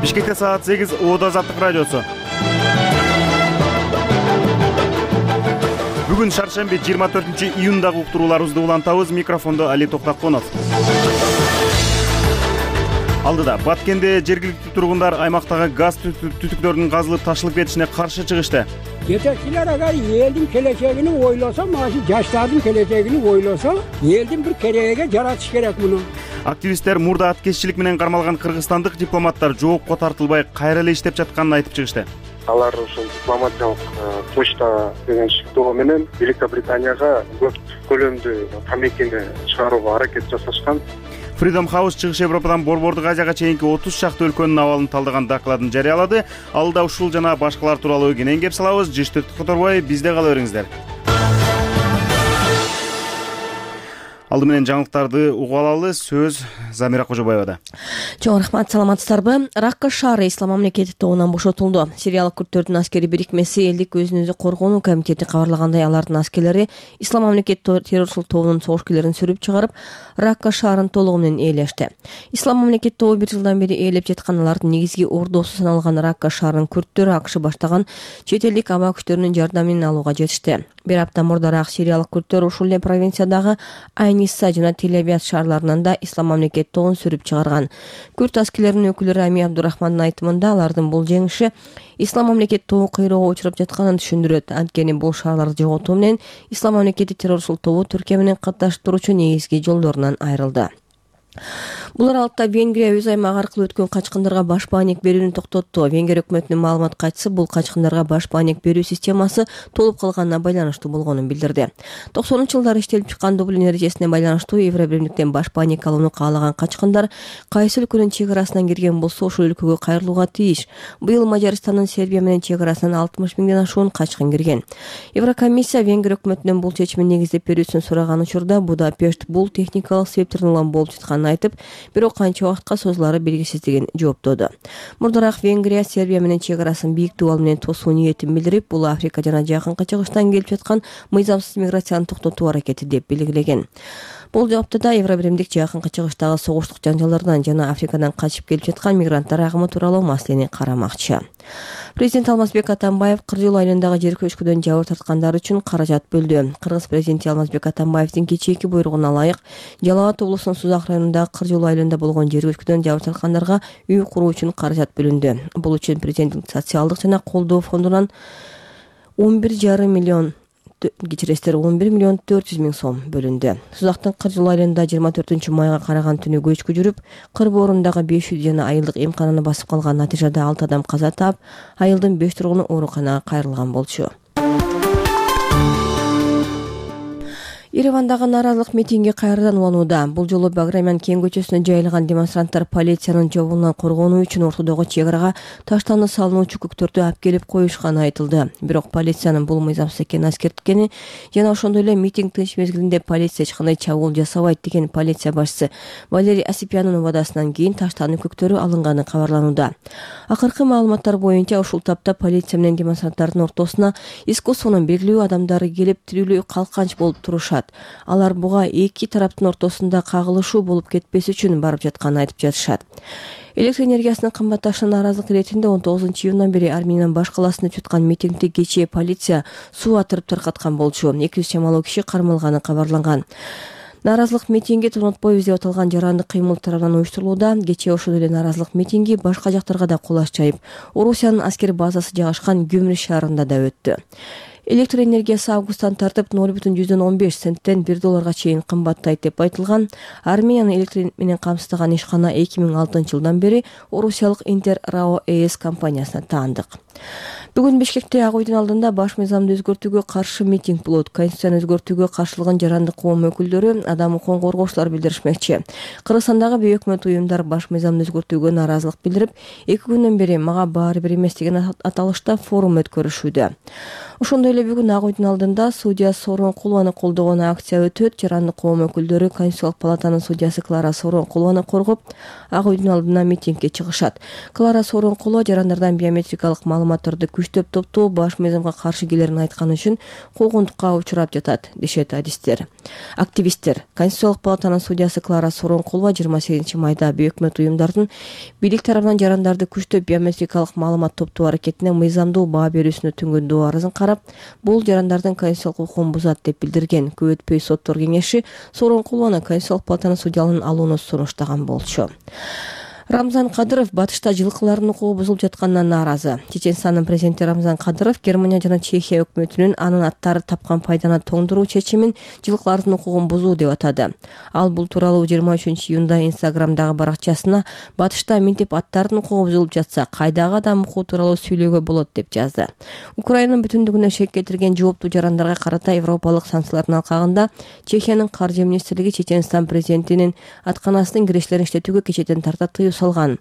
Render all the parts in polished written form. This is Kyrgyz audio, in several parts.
Бишкекте саат 8 Оода Азаттык радиосу. Бүгүн шаршемби 24-июндагы уктурууларыбызды улантабыз. Микрофондо Али Токтаконов. Алдыда Баткенде жергиликтүү тургундар аймактагы газ түтүктөрдүн казылып ташылып кетишине каршы чыгышты. Жетекчилер ага элдин келечегини ойлосо, мына жаштардын келечегини ойлосо, элдин бир кереге жаратыш керек муну. Активисттер мурда аткезчилик менен кармалган кыргызстандык дипломаттар жоопко тартылбай кайра эле иштеп жатканын айтып чыгышты. Алар ушул дипломатиялык почта деген шектөө менен Великобританияга көп көлөмдүү тамекини чыгарууга аракет жасашкан. Freedom House чыгыш Европадан Борбордук Азияга чейинки 30 шакты өлкөнүн абалын талдаган докладын жарыялады. Алда ушул жана башкалар тууралуу кенен кеп салабыз. Жыштыкты которбой, бизде кала бериңиздер. Алды менен жаңылыктарды угуп алалы. Сөз Замира Кожобаевада. Чоң рахмат, саламатсыздарбы? Ракка шаары Ислам мамлекети тобунан бошотулду. Сириялык күрттөрдүн аскери бирикмеси элдик өзүн өзү коргонуу комитети кабарлагандай, алардын аскерлери Ислам мамлекети террорчулук тобунун согушкерлерин сүрүп чыгарып, Ракка шаарын толугу менен ээлешти. Ислам мамлекети тобу 1 жылдан бери ээлеп жаткан, алардын негизги ордосу саналган Ракка шаарынын күрттөрү АКШ баштаган чет элдик аба күчтөрүнүн жардамын алууга жетишти. Бир апта мурдараак сириялык күрттөр ушул эле провинциядагы Айниса жана Тель-Авив шаарларынан да Ислам мамлекети тобун сүрүп чыгарган. Күрт аскерлеринин өкүлү Рами Абдурахмандын айтымында, алардын бул жеңиши Ислам мамлекети тобу кыйроого учуруп жатканын түшүндүрөт. Анткени бул шаарларды жоготуу менен Ислам мамлекети террорчулук тобу Түркия менен катташып турчу негизги жолдорунан айрылды. Бул аралыкта Венгрия өз аймагы аркылуу өткөн качкындарга баш бааник берүүнү токтотту. Венгрия өкмөтүнүн маалымат катчысы бул качкындарга баш бааник берүү системасы толуп калганына байланыштуу болгонун билдирди. 90-жылдары иштелип чыккан Дублин эрежесине байланыштуу Евробиримдиктен баш бааник алууну каалаган качкындар кайсы өлкөнүн чек арасынан кирген болсо ошол өлкөгө кайрылууга тийиш. Быйыл Мажарстандын Сербия менен чек арасынан 60 миңден ашуун качкын кирген. Еврокомиссия Венгрия өкмөтүнөн бул чечимин негиздеп берүүсүн сураган учурда Будапешт бул техникалык себептерден улам болуп жатканын айтып, бирок канча убакытка созулары белгисиздигин жооптоду. Мурдараак Венгрия Сербия менен чек арасын бийиктүү ал менен тосуу ниетин билдирип, бул Африка жана Жакынкы Чыгыштан келип жаткан мыйзамсыз миграцияны токтотуу аракети деп белгилеген. Бул жаптада Евробиримдик Жакынкы Чыгыштагы согуштук жаңжалдардан жана Африкадан качып келип жаткан мигранттар агымы тууралуу маселени карамакчы. Президент Алмазбек Атамбаев Кыржыл айылындагы жер көчкүдөн жабыр тарткандар үчүн каражат бөлдү. Кыргыз президенти Алмазбек Атамбаевдин кечээки буйругуна ылайык Жалал Абад облусунун Сузак районундагы Кыржыл айылында болгон жер көчкүдөн жабыр тарткандарга үй куруу үчүн каражат бөлүндү. Бул үчүн президенттин социалдык жана колдоо фондунан 11,5 миллион 11 миллион 400 миң сом бөлүндү. Сузактын Кыржыл айылында 24-майга караган түнү көчкү жүрүп, кыр боорундагы 500 жана айылдык эмкананы басып калган. Натыйжада 6 адам каза таап, айылдын 5 тургуну ооруканага кайрылган болчу. Еревандагы нааразылык митинги кайрадан уланууда. Бул жолу Баграмян кең көчөсүнө жайылган демонстранттар полициянын жобунан коргонуу үчүн ортодогу чек арага таштанды салынуучу көктөрдү алып келип коюшканы айтылды. Бирок полициянын бул мыйзамсыз экенин аскерткени жана ошондой эле митинг тынч мезгилинде полиция эч кандай чабуул жасабайт деген полиция башчысы Валерий Осипянын убадасынан кийин таштанды көктөрү алынганы кабарланууда. Акыркы маалыматтар боюнча ушул тапта полиция менен демонстранттардын ортосуна искусствонун белгилүү адамдары келип тирүүлүү калканч болуп турушат. Алар буга эки тараптын ортосунда кагылышуу болуп кетпес үчүн барып жатканын айтып жатышат. Электр энергиясынын кымбатташына нааразылык иретинде 19-июндан бери Армениянын баш каласында өткөн митингди кечээ полиция суу атырып таркаткан болчу. 200 чамалуу киши кармалганы кабарланган. Нааразылык митинги тонотпойбуз деп аталган жарандык кыймыл тарабынан уюштурулууда. Кечээ ошол эле нааразылык митинги башка жактарга да кулаш жайып, Орусиянын аскер базасы жайгашкан Гюмри шаарында да өттү. Электр энергиясы августтан тартып 0,15 центтен $1 чейин кымбаттайт деп айтылган. Армениянын электр менен камсыздаган ишкана 2006-жылдан бери Орусиялык Интер РАО ЭС компаниясына таандык. Бүгүн Бишкекте Ак үйдүн алдында баш мыйзамды өзгөртүүгө каршы митинг болот. Конституцияны өзгөртүүгө каршылыгын жарандык коом өкүлдөрү, адам укугун коргоочулар билдиришмекчи. Кыргызстандагы бейөкмөт уюмдар баш мыйзамды өзгөртүүгө нааразылык билдирип, 2 күндөн бери мага баары бир эмес деген аталышта форум өткөрүшүүдө. Ошондой эле бүгүн Ак үйдүн алдында судья Сооронкулованы колдогон акция өтөт. Жарандык коом өкүлдөрү Конституциялык палатанын судьясы Клара Сооронкулованы коргоп, Ак үйдүн алдына митингге чыгышат. Клара Сооронкулова жарандардан биометрикалык маалыматтарды күчтөп топтоо баш мыйзамга каршы келерин айтканы үчүн куугунтукка учурап жатат, дешет активисттер. Конституциялык палатанын судьясы Клара Сооронкулова 28 майда бейөкмөт уюмдардын бийлик тарабынан жарандарды күчтөп биометрикалык маалымат топтоо аракетине мыйзамдуу баа берүүсүнө түнгөндөө арызын карап, бул жарандардын конституциялык укугун бузат деп билдирген. Көп өтпөй соттор кеңеши Сооронкулованы Конституциялык палатанын судьялыгын алууну сунуштаган болчу. Рамзан Кадыров батышта жылкылардын укугу бузулуп жатканына нааразы. Чеченстандын президенти Рамзан Кадыров Германия жана Чехия өкмөтүнүн анын аттары тапкан пайданы тоңдуруу чечимин жылкылардын укугун бузуу деп атады. Ал бул тууралуу 23-июнда Инстаграмдагы баракчасына батышта минтип аттардын укугу бузулуп жатса, кайдагы адам укугу тууралуу сүйлөөгө болот деп жазды. Украинанын бүтүндүгүнө шек кетирген жооптуу жарандарга карата европалык санкциялардын алкагында Чехиянын каржы министрлиги Чеченстан президентинин атканасынын кирештерин иштетүүгө кечээден тарта тыюу салган.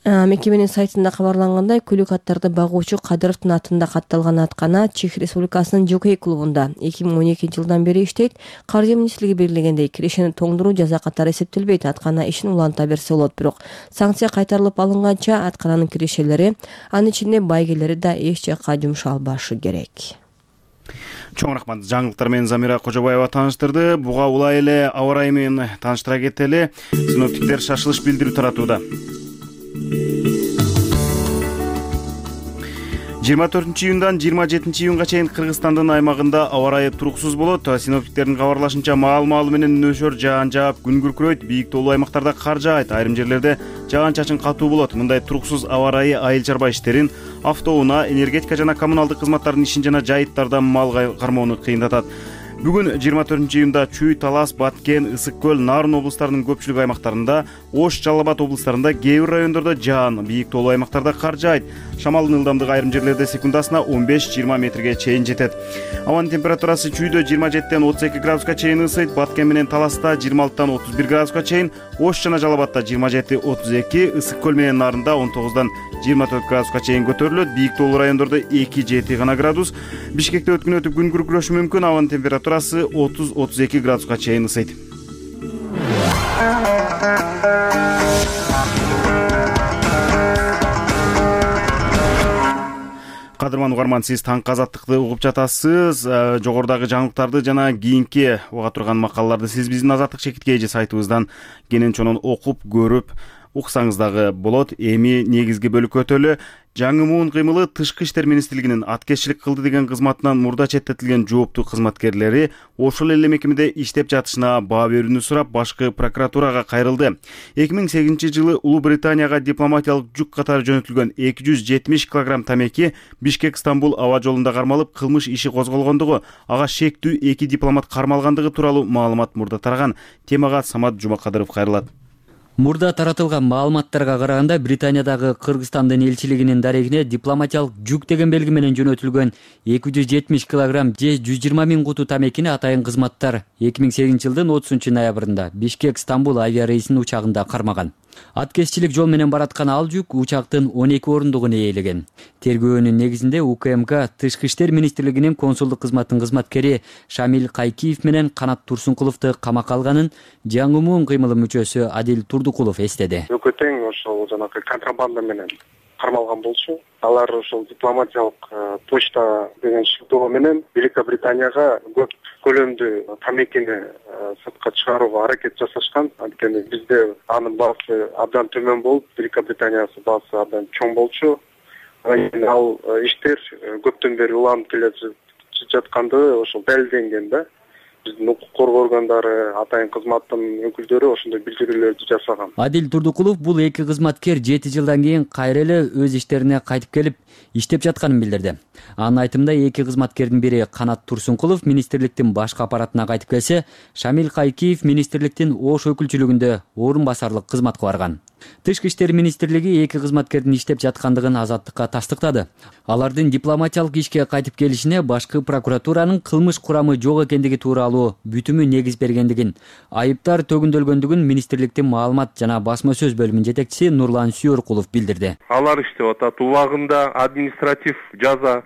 Мекеменин сайтында кабарлангандай, күлүк аттарды багуучу Кадыровдун атында катталган аткана Чех Республикасынын жокей клубунда 2012-жылдан бери иштейт. Каржы министрлиги белгилегендей, кирешени тоңдуруу жаза катары эсептелбейт. Аткана ишин уланта берсе болот, бирок санкция кайтарылып алынганча аткананын кирешелери, анын ичинде байгелери да эч жакка жумшалбашы керек. Чоң рахмат. Жаңылыктар менен Замира Кожобаева тааныштырды. Буга улай эле аба ырайы менен тааныштыра кетели. Синоптиктер шашылыш билдирүү таратууда. 24-июндан 27-июнга чейин Кыргызстандын аймагында аба ырайы туруксуз болот. Синоптиктердин кабарлашынча маал-маалы менен нөшөр жаан жаап, күн күркүрөйт, бийик тоолуу аймактарда кар жаайт, айрым жерлерде жаан-чачын катуу болот. Мындай туруксуз аба ырайы айыл чарба иштерин, автоунаа, энергетика жана коммуналдык кызматтардын ишин жана жайыттарда мал кармоону кыйындатат. Бүгүн 24-июнда Чүй, Талас, Баткен, Ысык көл, Нарын облустарынын көпчүлүк аймактарында, Ош, Жалал Абад облустарында, кээ бир райондордо жаан, бийик тоолуу аймактарда кар жаайт. Шамалдын ылдамдыгы айрым жерлерде секундасына 15-20 метрге чейин жетет. Абанын температурасы Чүйдө 27-ден 32 градуска чейин ысыйт, Баткен менен Таласта 26-дан 31 градуска чейин, Ош жана Жалал Абадта 27-32, Ысык көл менен Нарында 19-дан 24 градуска чейин көтөрүлөт. Бийик тоолуу райондордо 2-7 гана градус. Бишкекте өткүн өтүп күн күркүрөшү мүмкүн. Абанын температурасы 30-32 градуска чейин ысыйт. Кадырман угарман, сиз таңкы азаттыкты угуп жатасыз. Жогорудагы жаңылыктарды жана кийинки уга турган макалаларды сиз биздин Азаттык чекит KG сайтыбыздан кенен чонун окуп, көрүп, уксаңыз дагы болот. Эми негизги бөлүккө өтөлү. Жаңымуун кыймылы Тышкы иштер министрлигинин аткезчилик кылды деген кызматынан мурда четтетилген жооптуу кызматкерлери ошол эле мекемеде иштеп жатышына баа берүүнү сурап, башкы прокуратурага кайрылды. 2008-жылы Улуу Британияга дипломатиялык жүк катары жөнөтүлгөн 270 килограмм тамеки Бишкек-Стамбул аба жолунда кармалып, кылмыш иши козголгондугу, ага шектүү 2 дипломат кармалгандыгы тууралуу маалымат мурда тараган. Темага Самат Жумакадыров кайрылат. Мурда таратылган маалыматтарга караганда Британиядагы Кыргызстандын элчилигинин дарегине дипломатиялык жүк деген белги менен жөнөтүлгөн 270 килограмм же 120 000 куту тамекини атайын кызматтар 2008-жылдын 30-ноябрында Бишкек-Стамбул авиарейсинин учагында кармаган. Аткезчилик жол менен бараткан ал жүк учактын 12 орундугун ээлеген. Тергөөнүн негизинде УКМК Тышкы иштер министрлигинин консулдук кызматтын кызматкери Шамил Кайкиев менен Канат Турсункуловду камакка алганын жаңымуун кыймылы мүчөсү Адил Турдукулов эстеди. Өкөтең ошол жанагы контрабанда менен кармалган болчу. Алар ошол дипломатиялык почта деген шектөө менен Великобританияга көп көлөмдүү тамекини сыртка чыгарууга аракет жасашкан. Анткени бизде анын баасы абдан төмөн болуп, Великобританиясы баасы абдан чоң болчу. Ал иштер көптөн бери уланып келе жаткандыгы ошол далилденген да. Биздин укук коргоо органдары, атайын кызматтын өкүлдөрү ошондой билдирүүлөрдү жасаган. Адил Турдукулов бул эки кызматкер 7 жылдан кийин кайра эле өз иштерине кайтып келип иштеп жатканын билдирди. Анын айтымында эки кызматкердин бири Канат Турсункулов министрликтин башкы аппаратына кайтып келсе, Шамил Кайкиев министрликтин Ош өкүлчүлүгүндө орун басарлык кызматка барган. Тышкы иштер министрлиги эки кызматкердин иштеп жаткандыгын Азаттыкка тастыктады. Алардын дипломатиялык ишке кайтып келишине башкы прокуратуранын кылмыш курамы жок экендиги тууралуу бүтүмү негиз бергендигин, айыптар төгүндөлгөндүгүн министрликтин маалымат жана басма сөз бөлүмүнүн жетекчиси Нурлан Сүйөркулов билдирди. Алар иштеп атат. Убагында административ жаза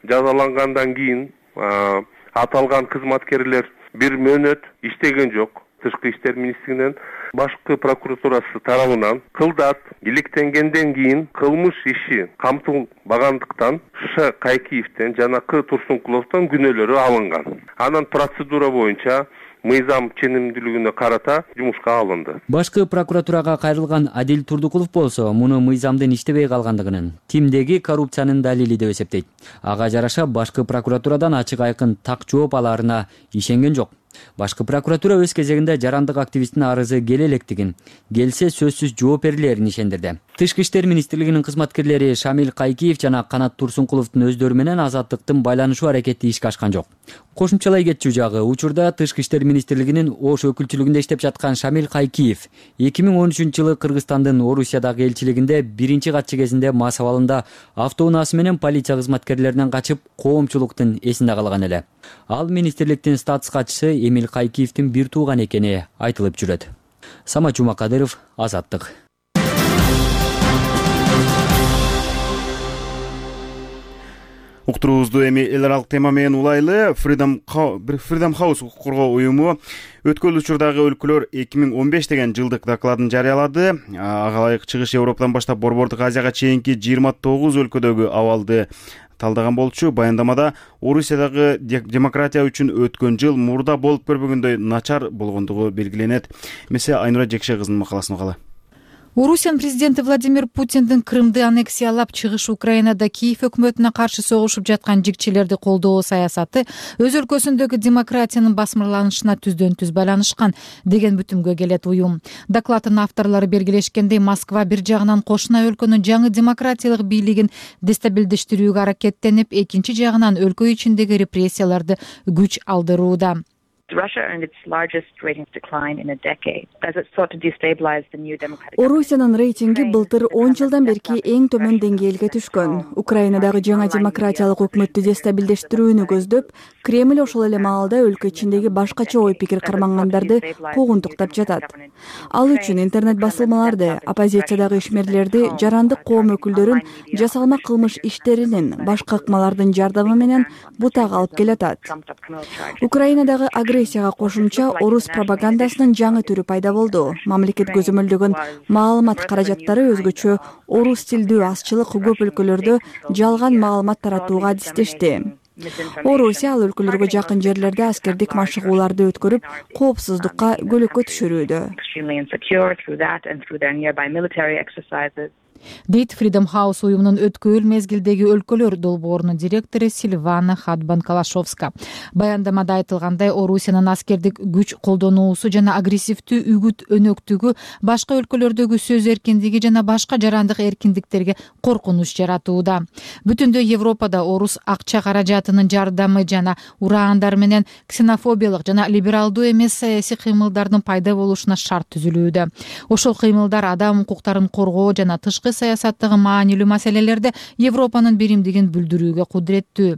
жазалангандан кийин аталган кызматкерлер бир мөөнөт иштеген жок. Тышкы иштер министрлигинен башкы прокуратурасы тарабынан кылдат иликтенгенден кийин кылмыш иши камтылбагандыктан Ш. Кайкиевден жана К. Турсункуловдон күнөөлөрү алынган. Анан процедура боюнча мыйзам ченемдүүлүгүнө карата жумушка алынды. Башкы прокуратурага кайрылган Адил Турдукулов болсо муну мыйзамдын иштебей калгандыгынын, тимдеги коррупциянын далили деп эсептейт. Ага жараша башкы прокуратурадан ачык айкын так жооп алаарына ишенген жок. Башкы прокуратура өз кезегинде жарандык активисттин арызы келе электигин, келсе сөзсүз жооп берилерин ишендирди. Тышкы иштер министрлигинин кызматкерлери Шамил Кайкиев жана Канат Турсункуловдун өздөрү менен азаттыктын байланышуу аракети ишке ашкан жок. Кошумчалай кетчү жагы, учурда Тышкы иштер министрлигинин Ош өкүлчүлүгүндө иштеп жаткан Шамил Кайкиев 2013-жылы Кыргызстандын Орусиядагы элчилигинде биринчи катчы кезинде мас абалында автоунаасы менен полиция кызматкерлеринен качып, коомчулуктун эсинде калган эле. Ал министрликтин статус катчысы Эмил Кайкиевдин бир тууган экени айтылып жүрөт. Самат Жумакадыров, Азаттык. Уктуруубузду эми эл аралык тема менен улайлы. Freedom House укук коргоо уюму өткөн учурдагы өлкөлөр 2015 деген жылдык докладын жарыялады. Ага ылайык Чыгыш Европадан баштап Борбордук Азияга чейинки 29 өлкөдөгү абалды талдаган болчу. Баяндамада Орусиядагы демократия үчүн өткөн жыл мурда болуп көрбөгөндөй начар болгондугу белгиленет. Месе Айнура Жекше кызынын макаласын угалы. Орусиянын президенти Владимир Путиндин Крымды аннексиялап чыгыш Украинада Киев өкмөтүнө каршы согушуп жаткан жигчилерди колдоо саясаты өз өлкөсүндөгү демократиянын басмырланышына түздөн түз байланышкан деген бүтүмгө келет уюм. Докладдын авторлору белгилешкендей, Москва бир жагынан кошуна өлкөнүн жаңы демократиялык бийлигин дестабилдештирүүгө аракеттенип, экинчи жагынан өлкө ичиндеги репрессияларды күч алдырууда. Орусиянын рейтинги былтыр 10 жылдан берки эң төмөн деңгээлге түшкөн. Украинадагы жаңа демократиялык өкмөттү дестабилдештирүүнү көздөп, Кремль ошол эле маалда өлкө ичиндеги башкача ой пикир кармангандарды куугунтуктап жатат. Ал үчүн интернет басылмаларды, оппозициядагы ишмерлерди, жарандык коом өкүлдөрүн жасалма кылмыш иштеринин, башка ыкмалардын жардамы менен бутак алып келатат. Украинадагы агрессияга кошумча орус пропагандасынын жаңы түрү пайда болду. Мамлекет көзөмөлдөгөн маалымат каражаттары өзгөчө орус тилдүү азчылык көп өлкөлөрдө жалган маалымат таратууга адистешти. Орусия ал өлкөлөргө жакын жерлерде аскердик машыгууларды өткөрүп, коопсуздукка көлөккө түшүрүүдө. Дейт Freedom House уюмунун өткөн мезгилдеги өлкөлөр долбоорунун директору Сильвана Хадбан-Калашовска. Баяндамада айтылгандай, Орусиянын аскердик күч колдонуусу жана агрессивдүү үгүт өнөктүгү башка өлкөлөрдөгү сөз эркиндиги жана башка жарандык эркиндиктерге коркунуч жаратууда. Бүтүндөй Европада орус акча каражатынын жардамы жана ураандар менен ксенофобиялык жана либералдуу эмес саясий кыймылдардын пайда болушуна шарт түзүлүүдө. Ошол кыймылдар адам укуктарын коргоо жана тышкы саясаттагы маанилүү маселелерде Европанын биримдигин билдирүүгө кудуреттүү.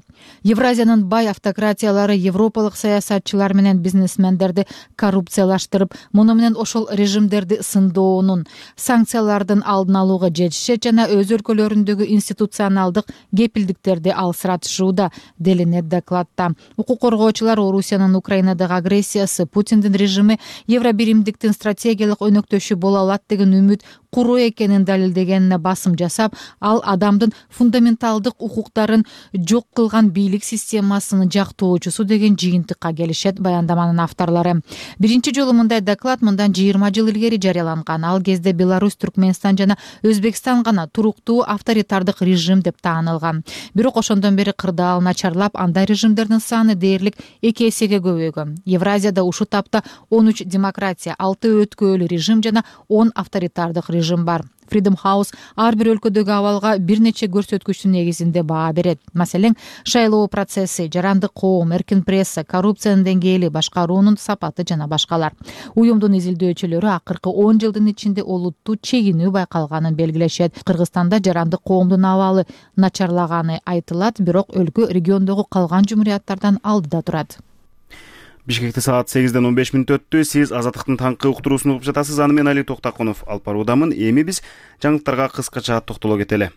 Евразиянын бай автократиялары европалык саясатчылар менен бизнесмендерди коррупциялаштырып, муну менен ошол режимдерди сындоонун, санкциялардын алдын алууга жетишет жана өз өлкөлөрүндөгү институционалдык кепилдиктерди алсыратышууда, делинет докладта. Укук коргоочулар Орусиянын Украинадагы агрессиясы, Путиндин режими Евробиримдиктин стратегиялык өнөктөшү боло алат деген үмүт куруу экенин далилдегенине басым жасап, ал адамдын фундаменталдык укуктарын жок кылган бийлик системасынын жактоочусу деген жыйынтыкка келишет баяндаманын авторлору. Биринчи жолу мындай доклад мындан 20 жыл илгери жарыяланган. Ал кезде Беларусь, Түркмөнстан жана Өзбекстан гана туруктуу авторитардык режим деп таанылган. Бирок ошондон бери кырдаал начарлап, андай режимдердин саны дээрлик 2 эсеге көбөйгөн. Евразияда ушу тапта 13 демократия, 6 өткөөлүү режим жана 10 авторитардык режим бар. Freedom House ар бир өлкөдөгү абалга бир нече көрсөткүчтүн негизинде баа берет. Маселен, шайлоо процесси, жарандык коом, эркин пресса, коррупциянын деңгээли, башкаруунун сапаты жана башкалар. Уюмдун изилдөөчүлөрү акыркы 10 жылдын ичинде олуттуу чегинүү байкалганын белгилешет. Кыргызстанда жарандык коомдун абалы начарлаганы айтылат, бирок өлкө региондогу калган жумурияттардан алдыда турат. Бишкекте саат 8-ден 15 мүнөт өттү. Сиз Азаттыктын таңкы уктуруусун угуп жатасыз. Аны мен Али Токтакунов алып баруудамын. Эми биз жаңылыктарга кыскача токтоло кетели.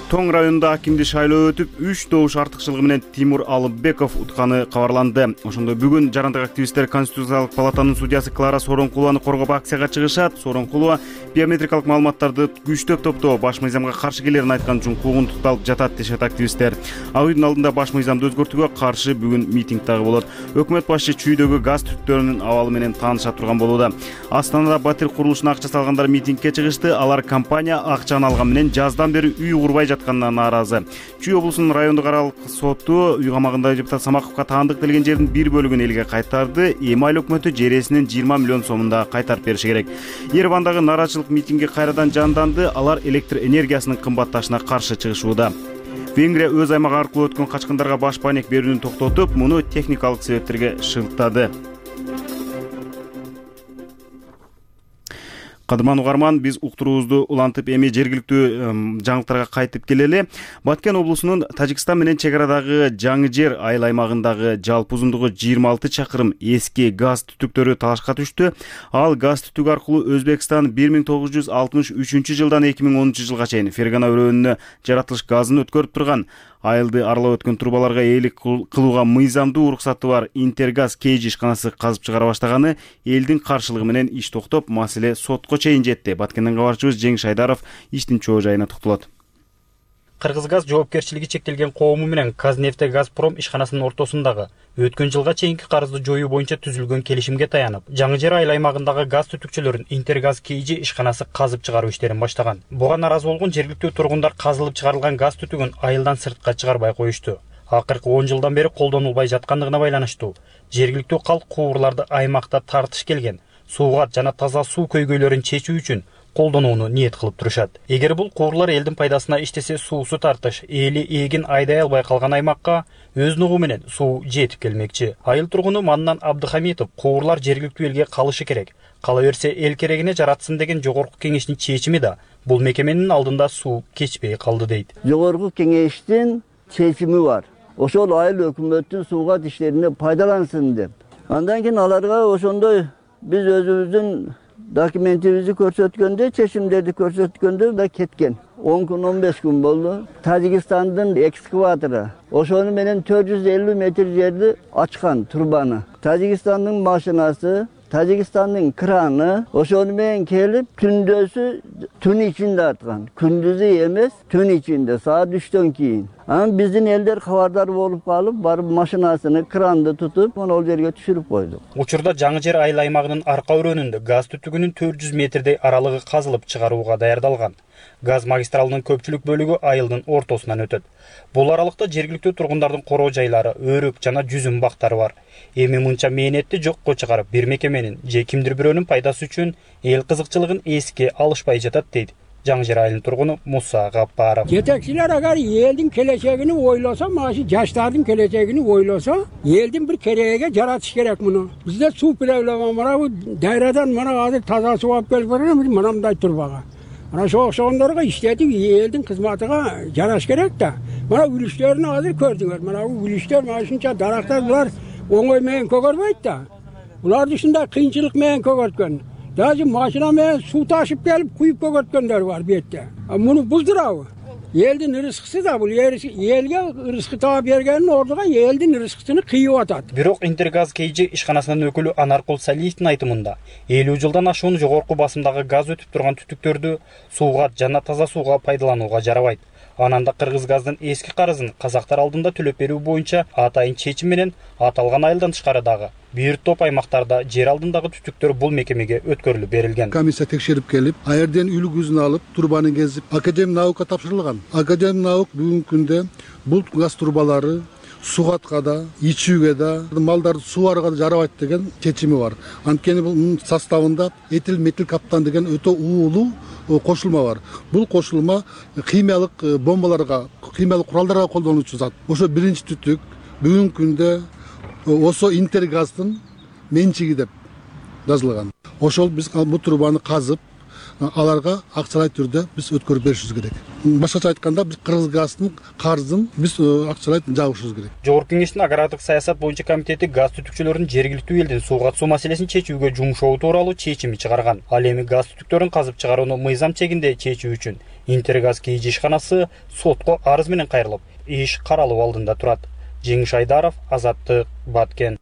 Тоң районунда акимди шайлоо өтүп 3 добуш артыкчылыгы менен Тимур Алыбеков утканы кабарланды. Ошондой бүгүн жарандык активисттер Конституциялык палатанын судьясы Клара Сооронкулованы коргоп акцияга чыгышат. Сооронкулова биометрикалык маалыматтарды күчтөп топтоо баш мыйзамга каршы келерин айткан үчүн куугунтукталып жатат дешет активисттер. Ак үйдүн алдында баш мыйзамды өзгөртүүгө каршы бүгүн митинг дагы болот. Өкмөт башчы чүйдөгү газ түтүктөрүнүн абалы менен тааныша турган болууда. Астанада батир курулушуна акча салгандар митингге чыгышты. Алар компания акчаны алган менен жаздан бери үй курбай жатканына нааразы. Чүй облусунун райондук аралык соту үй камагындагы депутат Самаковго таандык берилген жердин бир бөлүгүн элге кайтарды. Эми айыл өкмөтү жересинен 20 миллион сомунда кайтарып бериши керек. Еревандагы нааразычылык митинги кайрадан жанданды. Алар электр энергиясынын кымбатташына каршы чыгышууда. Венгрия өз аймагы аркылуу өткөн качкындарга баш пайнек берүүнү токтотуп, муну техникалык себептерге шылтады. Кадырман угарман, биз уктуруубузду улантып эми жергиликтүү жаңылыктарга кайтып келели. Баткен облусунун Тажикстан менен чек арадагы Жаңы Жер айыл аймагындагы жалпы узундугу 26 чакырым эски газ түтүктөрү талашка түштү. Ал газ түтүк аркылуу Өзбекстан 1963 жылдан 2010 жылга чейин Фергана өрөөнүнө жаратылыш газын өткөрүп турган. Айылды аралап өткөн трубаларга ээлик кылууга мыйзамдуу уруксаты бар Интергаз KG ишканасы казып чыгара баштаганы элдин каршылыгы менен иш токтоп, маселе сотко чейин жетти. Баткенден кабарчыбыз Жеңиш Айдаров иштин чоо жайына токтолот. Кыргызгаз жоопкерчилиги чектелген коому менен Казнефтегазпром ишканасынын ортосундагы өткөн жылга чейинки карызды жоюу боюнча түзүлгөн келишимге таянып, Жаңы Жер айыл аймагындагы газ түтүкчөлөрүн Интергаз KG ишканасы казып чыгаруу иштерин баштаган. Буга нааразы болгон жергиликтүү тургундар казылып чыгарылган газ түтүгүн айылдан сыртка чыгарбай коюшту. Акыркы 10 жылдан бери колдонулбай жаткандыгына байланыштуу жергиликтүү калк куурларды аймакта тартыш келген сууга жана таза суу көйгөйлөрүн чечүү үчүн колдонууну ниет кылып турушат. Эгер бул куурлар элдин пайдасына иштесе, суусу тартыш эли эгин айдай албай калган аймакка өз нугу менен суу жетип келмекчи. Айыл тургуну Маннан Абдыхамитов куурлар жергиликтүү элге калышы керек. Кала берсе эл керегине жаратсын деген жогорку кеңештин чечими да бул мекеменин алдында суу кечпей калды дейт. Жогорку кеңештин чечими бар. Ошол айыл өкмөттүн сууга иштерине пайдалансын деп. Андан кийин аларга ошондой биз өзүбүздүн документибизди көрсөткөндө, чечимдерди көрсөткөндө да кеткен. 10 күн 15 күн болду. Тажикстандын экскаватору ошону менен 450 метр жерди ачкан турбаны. Тажикстандын машинасы, Тажикстандын краны ошону менен келип түндөсү түн ичинде аткан. Күндүзү эмес, түн ичинде саат 3төн кийин. Анан биздин элдер кабардар болуп калып, барып машинасыны, кранды тутуп, ал жерге түшүрүп койду. Учурда Жаңы Жер айыл аймагынын арка өрөөнүндө газ түтүгүнүн 400 метрдей аралыгы казылып чыгарууга даярдалган. Газ магистралынын көпчүлүк бөлүгү айылдын ортосунан өтөт. Бул аралыкта жергиликтүү тургундардын короо жайлары, өрүк жана жүзүм бактары бар. Эми мынча мээнетти жокко чыгарып, бир мекеменин же кимдир бирөөнүн пайдасы үчүн эл кызыкчылыгын эске алышпай жатат дейт Жаңы Жер айылынын тургуну Муса Гаппаров. Жетекчилер агар элдин келечегин ойлосо, машы жаштардын келечегин ойлосо, элдин бир керегиге жаратыш керек муну. Бизде суу проблема бар, дайрадан мына азыр таза суу алып келип берем, мындай турбага. Мына ошондорго иштетип, элдин кызматыга жараш керек да. Мына үлүштөрүнү азыр көрдүңөр. Мына үлүштөр, мына ушунча дарактар булар оңой менен көгөрбөйт да. Буларды ушундай кыйынчылык менен көгөрткөн. Даже машина менен суу ташып келип куюп көгөрткөндөр бар бетте. Муну булдурабы? Элдин рызкысы да бул элге рызкы таап бергенин ордуга элдин рызкысын кыйып атат. Бирок Интергаз KG ишканасынын өкүлү Анаркул Салиевдин айтымында 50 жылдан ашуун жогорку басымдагы газ өтүп турган түтүктөрдү сууга жана таза сууга пайдаланууга жарабайт. Ананда Кыргызгаздын эски карызын казактар алдында төлөп берүү боюнча атайын чечим менен аталган айылдан тышкарыдагы бир топ аймактарда жер алдындагы түтүктөр бул мекемеге өткөрүлүп берилген. Комиссия текшерип келип, аерден үлгүзүн алып, турбаны кезип, Академия наука тапшырылган. Академия наук бүгүнкү күндө бул газ турбалары сугатка да, ичүүгө да, малдарды сууарга да жарабайт деген чечими бар. Анткени бул составында этил метил каптан деген өтө уулуу кошулма бар. Бул кошулма химиялык бомбаларга, химиялык куралдарга колдонуучу зат. Ошо биринчи түтүк бүгүнкү күндө осо Интергаздын менчиги деп жазылган. Ошол биз бул турбаны казып, аларга акчалай түрдө биз өткөрүп беришибиз керек. Башкача айтканда биз Кыргызгаздын карызын биз акчалай жабышыбыз керек. Жогорку кеңештин агрардык саясат боюнча комитети газ түтүкчөлөрүнүн жергиликтүү элдин сууга катышуу маселесин чечүүгө жумшоо тууралуу чечими чыгарган. Ал эми газ түтүктөрүн казып чыгарууну мыйзам чегинде чечүү үчүн Интергаз КИЖ ишканасы сотко арыз менен кайрылып, иш каралуу алдында турат. Жеңиш Айдаров, Азаттык, Баткен.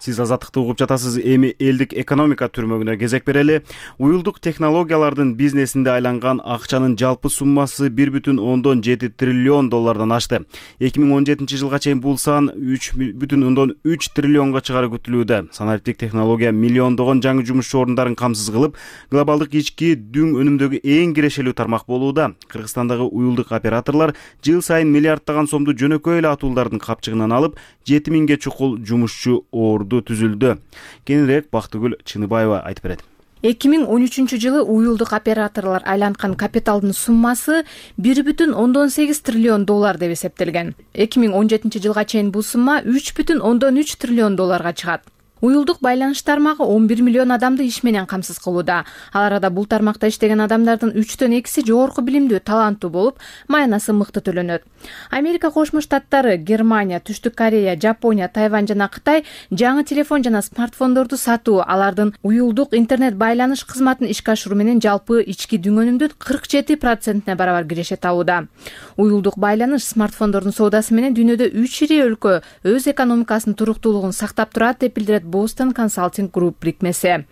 Сиз Азаттыкты угуп жатасыз. Эми элдик экономика түрмөгүнө кезек берели. Уюлдук технологиялардын бизнесинде айланган акчанын жалпы суммасы 1,7 триллион доллардан ашты. 2017 жылга чейин бул сан 3,3 триллионго чыгары күтүлүүдө. Санариптик технология миллиондогон жаңы жумуш орундарын камсыз кылып, глобалдык ички дүң өнүмдөгү эң кирешелүү тармак болууда. Кыргызстандагы уюлдук операторлор жыл сайын миллиарддаган сомду жөнөкөй эле атуулардын капчыгынан алып, 7000ге чукул жумушчу түзүлдү. Кененирээк Бактыгүл Чыныбаева айтып берет. 2013 жылы уюлдук операторлор айланткан капиталдын суммасы 1,8 триллион доллар деп эсептелген. 2017 жылга чейин бул сумма 3,3 триллион долларга чыгат. Уюлдук байланыш тармагы 11 миллион адамды иш менен камсыз кылууда. Ал арада бул тармакта иштеген адамдардын 3төн 2си жогорку билимдүү, таланттуу болуп, маянасы мыкты төлөнөт. Америка Кошмо Штаттары, Германия, Түштүк Корея, Жапония, Тайвань жана Кытай жаңы телефон жана смартфондорду сатуу, алардын уюлдук интернет байланыш кызматын ишке ашыруу менен жалпы ички дүң өнүмдүн 47%-не барабар киреше табууда. Уюлдук байланыш смартфондордун соодасы менен дүйнөдө 3 ири өлкө өз экономикасынын туруктуулугун сактап турат деп билдирет Boston Consulting Group бирикмеси.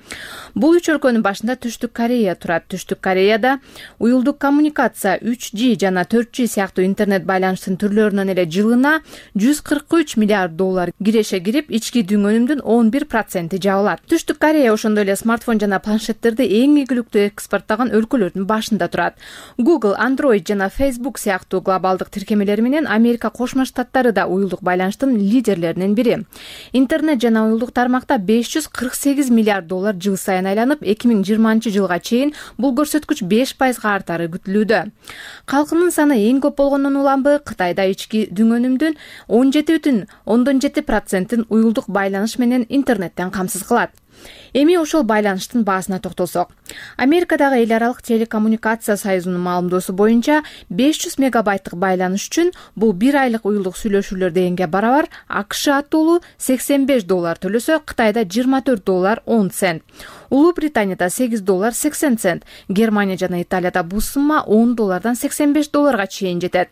Бул 3 өлкөнүн башында Түштүк Корея турат. Түштүк Кореяда уюлдук коммуникация 3G жана 4G сыяктуу интернет байланыштын түрлөрүнөн эле жылына 143 миллиард доллар киреше кирип, ички дүң өнүмдүн 11% жабылат. Түштүк Корея ошондой эле смартфон жана планшеттерди эң ийгиликтүү экспорттаган өлкөлөрдүн башында турат. Google, Android жана Facebook сыяктуу глобалдык тиркемелери менен Америка Кошмо Штаттары да уюлдук байланыштын лидерлеринин бири. Интернет жана уюлдук тармакта 548 миллиард доллар жыл сайын айланып, 2020 жылга чейин бул көрсөткүч 5%га артары күтүлүүдө. Калкынын саны эң көп болгондон улам Кытайда ички дүң өнүмдүн 17,7%-ын уюлдук байланыш менен интернеттен камсыз кылат. Эми ошол байланыштын баасына токтолсок. Америкадагы эл аралык телекоммуникация союзунун маалымдоосу боюнча 500 мегабайттык байланыш үчүн бул 1 айлык уюлдук сүйлөшүүлөр дегенге барабар. АКШ атуулу $85 төлөсө, Кытайда $24.10. Улуу Британияда $8.80. Германия жана Италияда бул сумма $10 $85 чейин жетет.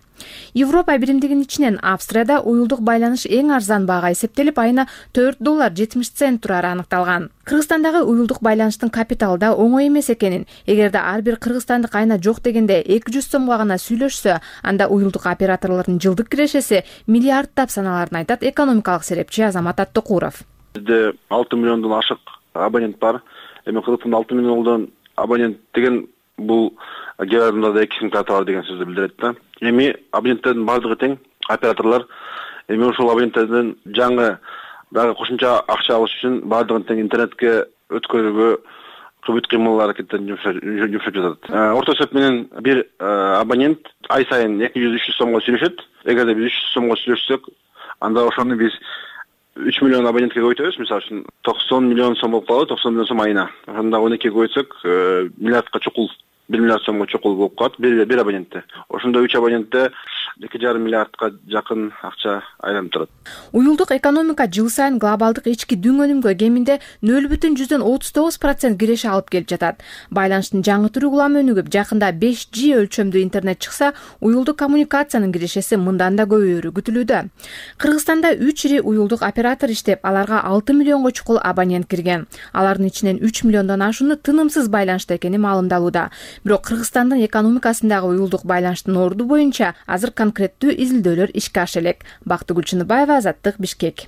Европа биримдигинин ичинен Австрияда уюлдук байланыш эң арзан баага эсептелип, айына $4.70 турары аныкталган. Кыргызстандагы уюлдук байланыштын капиталы да оңой эмес экенин, эгерде ар бир кыргызстандык айына жок дегенде 200 сомго гана сүйлөшсө, анда уюлдук операторлордун жылдык кирешеси миллиарддап саналарын айтат экономикалык серепчи Азамат Аттыкуров. Бизде 6 миллиондон ашык абонент бар. Эми Кыргызстанда 6 миллиондон абонент деген бул кээ адамдарда 2 симкарта бар деген сөздү билдирет да. Эми абоненттердин бардыгы тең, операторлор эми ошол абоненттерден жаңы дагы кошумча акча алыш үчүн бардыгын тең интернетке өткөрүүгө бүт кыймыл аракеттерин жумшап жатат. Орто эсеп менен бир абонент ай сайын 200-300 сомго сүйлөшөт. Эгерде биз 300 сомго сүйлөшсөк, анда ошону биз 3 миллион абонентке көбөйтөбүз. Мисалы үчүн 90 миллион сом болуп калат, 90 миллион сом айына. Ошондо 12 көбөйтсөк, миллиардка чукул 1 миллиард сомго чукул болуп калат бир абонентте. Ошондо 3 абонентте 2,5 миллиардка жакын акча айланып турат. Уюлдук экономика жыл сайын глобалдык ички дүң өнүмгө кеминде 0,39% киреше алып келип жатат. Байланыштын жаңы түрү улам өнүгүп, жакында 5G өлчөмдүү интернет чыкса, уюлдук коммуникациянын кирешеси мындан да көбөйөрү күтүлүүдө. Кыргызстанда 3 ири уюлдук оператор иштеп, аларга 6 миллионго чукул абонент кирген. Алардын ичинен 3 миллиондон ашууну тынымсыз байланышта экени маалымдалууда. Бирок Кыргызстандын экономикасындагы уюлдук байланыштын орду боюнча азыр конкреттүү изилдөөлөр ишке аша элек. Бактыгүл Чыныбаева, Азаттык, Бишкек.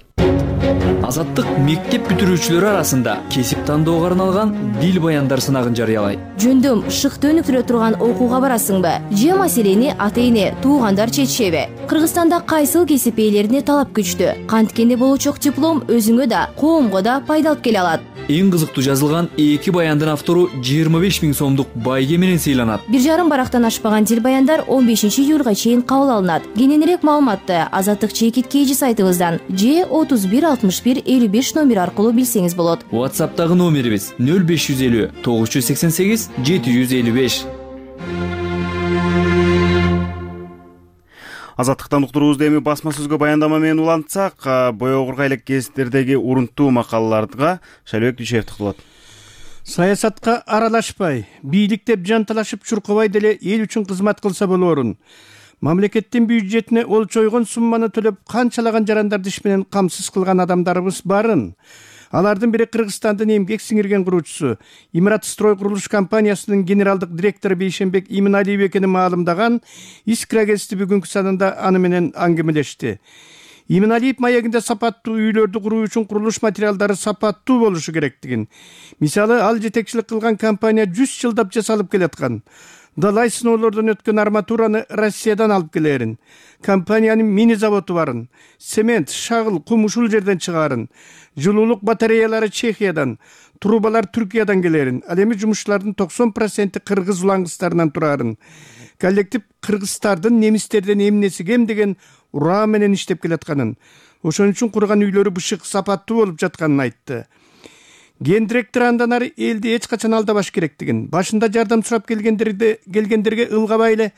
Азаттык мектеп бүтүрүүчүлөрү арасында кесип тандоого арналган дил баяндар сынагын жарыялайт. Жөндөм шыкты өнүктүрө турган окууга барасыңбы? Же маселени ата-эне, туугандар чечишеби? Кыргызстанда кайсыл кесип ээлерине талап күчтүү? Канткени болочок диплом өзүңө да, коомго да пайда алып келе алат. Эң кызыктуу жазылган 2 баяндын автору 25 000 сомдук байге менен сыйланат. 1,5 барактан ашпаган дил баяндар 15 июлга чейин кабыл алынат. Кененирээк маалыматты Азаттык чекит KG сайтыбыздан же 31 61 55 номер аркылуу билсеңиз болот. WhatsApp'тагы номерибиз 0550 988 755. Азаттыктан уктуруубузду эми басма сөзгө баяндама менен улантсак, боёгурга элек гезиттердеги урунттуу макалаларга Шайлыбек Дүйшеев токтолот. Саясатка аралашпай, бийликтеп жанталашып чуркабай деле эл үчүн кызмат кылса болорун. Мамлекеттин бюджетине олчойгон сумманы төлөп канчалаган жарандарды иш менен камсыз кылган адамдарыбыз барын. Алардын бири Кыргызстандын эмгек сиңирген куруучусу Имарат-строй курулуш компаниясынын генералдык директору Бейшенбек Иминалиев экени маалымдаган Искра гезити бүгүнкү санында аны менен аңгемелешти. Иминалиев маегинде сапаттуу үйлөрдү куруу үчүн курулуш материалдары сапаттуу болушу керектигин, мисалы ал жетекчилик кылган компания 100 жылдап жасалып келаткан далай сыноолордон өткөн арматураны Россиядан алып келерин, компаниянын мини заводу барын, цемент, шагыл, кум ушул жерден чыгарын, жылуулук батареялары Чехиядан, трубалар Түркиядан келерин, ал эми жумушчулардын 90% кыргыз улаңгыстарынан турарын, коллектив кыргыздардын немистерден эмнеси кем деген ураа менен иштеп келатканын, ошон үчүн курган үйлөрү бышык сапаттуу болуп жатканын айтты. Ген директор андан ары элди эч качан алдабаш керектигин, башында жардам сурап келгендерге ылгабай эле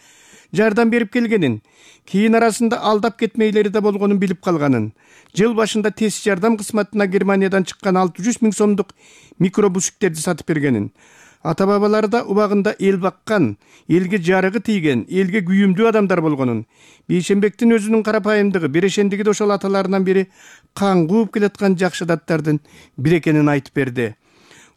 жардам берип келгенин, кийин арасында алдап кетмейлери да болгонун билип калганын, жыл башында тез жардам кызматына Германиядан чыккан 600 000 сомдук микробусиктерди сатып бергенин, ата бабалары да убагында эл баккан, элге жарыгы тийген, элге күйүмдүү адамдар болгонун, Бейшенбектин өзүнүн карапайымдыгы, берешендиги да ошол аталарынан бери кан кууп келаткан жакшы адаттардын бири экенин айтып берди.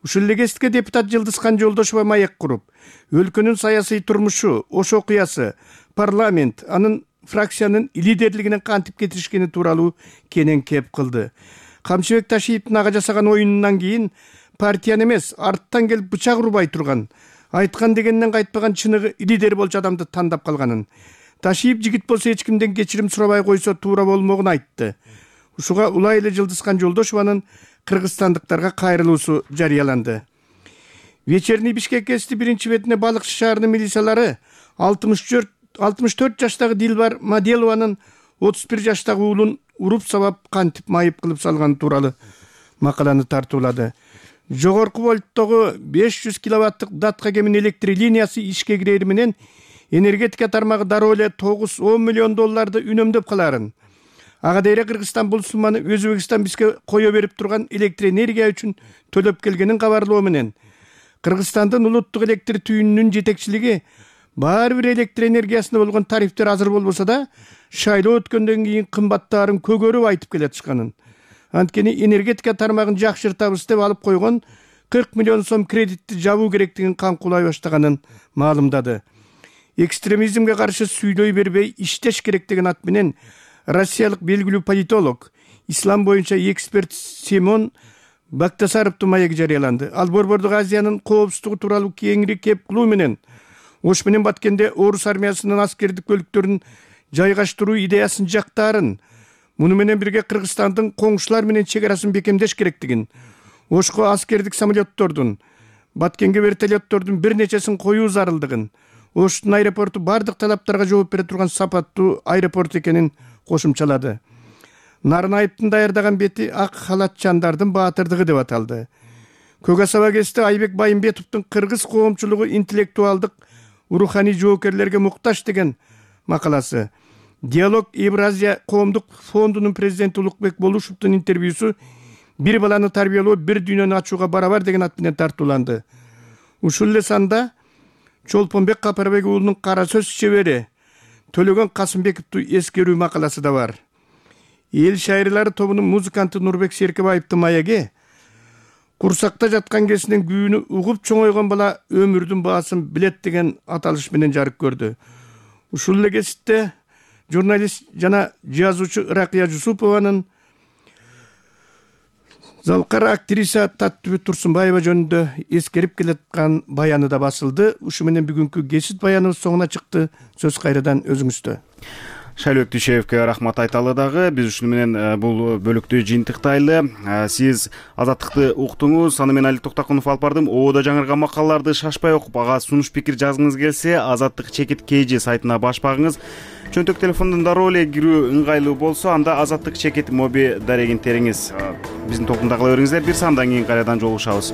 Ушул эле кезитке депутат Жылдызхан Жолдошова маек куруп, өлкөнүн саясий турмушу, ош окуясы, парламент, анын фракциянын лидерлигине кантип кетиришкени тууралуу кенен кеп кылды. Камчыбек Ташиевдин ага жасаган оюнунан кийин партияны эмес, арттан келип бычак урбай турган, айткан дегенден кайтпаган чыныгы лидер болчу адамды тандап калганын, Ташиев жигит болсо эч кимден кечирим сурабай койсо туура болмогун айтты. Ушуга улай эле Жылдызхан Жолдошованын кыргызстандыктарга кайрылуусу жарыяланды. Вечерний Бишкек гезити биринчи бетине Балыкчы шаарынын милициялары 64 жаштагы Дилбар Маделованын 31 жаштагы уулун уруп сабап кантип майып кылып салганы тууралуу макаланы тартуулады. Жогорку вольттогу 500 киловаттык датка кемин электр линиясы ишке кирери менен энергетика тармагы дароо эле 9-10 миллион долларды үнөмдөп каларын. Ага дейре Кыргызстан бул сумманы Өзбекстан бизге кое берип турган электр энергия үчүн төлөп келгенин кабарлоо менен Кыргызстандын улуттук электр түйүнүнүн жетекчилиги баары бир электр энергиясына болгон тарифтер азыр болбосо да шайлоо өткөндөн кийин кымбаттаарын көгөрүп айтып келатышканын. Анткени энергетика тармагын жакшыртабыз деп алып койгон 40 миллион сом кредитти жабуу керектигин каңкулай баштаганын маалымдады. Экстремизмге каршы сүйлөй бербей иштеш керек деген ат менен Россиялык белгилүү политолог, ислам боюнча эксперт Семон Бактасаровдун маеги жарыяланды. Ал Борбордук Азиянын коопсуздугу тууралуу кеңири кеп кылуу менен Ош менен Баткенде орус армиясынын аскердик бөлүктөрүн жайгаштыруу идеясын жактаарын, муну менен бирге Кыргызстандын коңшулар менен чек арасын бекемдеш керектигин, Ошко аскердик самолеттордун, Баткенге вертолеттордун бир нечесин коюу зарылдыгын, Оштун аэропорту бардык талаптарга жооп бере турган сапаттуу аэропорт экенин кошумчалады. Нарынаевдин даярдаган бети ак халатчандардын баатырдыгы деп аталды. Көк Асаба гезити Айбек Байымбетовдун кыргыз коомчулугу интеллектуалдык, руханий жоокерлерге муктаж деген макаласы. Диалог Евразия коомдук фондунун президенти Улукбек Болушевдун интервьюсу бир баланы тарбиялоо бир дүйнөнү ачууга барабар деген ат менен тартууланды. Ушул эле санда Чолпонбек Капарбек уулунун кара сөз чебери Төлөгөн Касымбековду эскерүү макаласы да бар. Эл шайырлары тобунун музыканты Нурбек Серкебаевдин маеги курсакта жаткан кезинен күйүүнү угуп чоңойгон бала өмүрдүн баасын билет деген аталыш менен жарык көрдү. Ушул эле кезитте журналист жана жазуучу Ыракыя Жусупованын залкар актриса Таттыбүт Турсунбаева жөнүндө эскерип келаткан баяны да басылды. Ушу менен бүгүнкү гезит баяныбыз соңуна чыкты. Сөз кайрадан өзүңүздө. Шайлыбек Дүйшеевке рахмат айталы дагы. Биз ушуну менен бул бөлүктү жыйынтыктайлы. Сиз азаттыкты уктуңуз. Аны мен Алик Токтокунов алып бардым. Ободо жаңырган макалаларды шашпай окуп, ага сунуш пикир жазгыңыз келсе, Азаттык чекит KG сайтына баш багыңыз. Чөнтөк телефондон дароо эле кирүү ыңгайлуу болсо, анда Азаттык чекит моби дарегин териңиз. Биздин топтунда кала бериңиздер. Бир сандан кийин кайрадан жолугушабыз.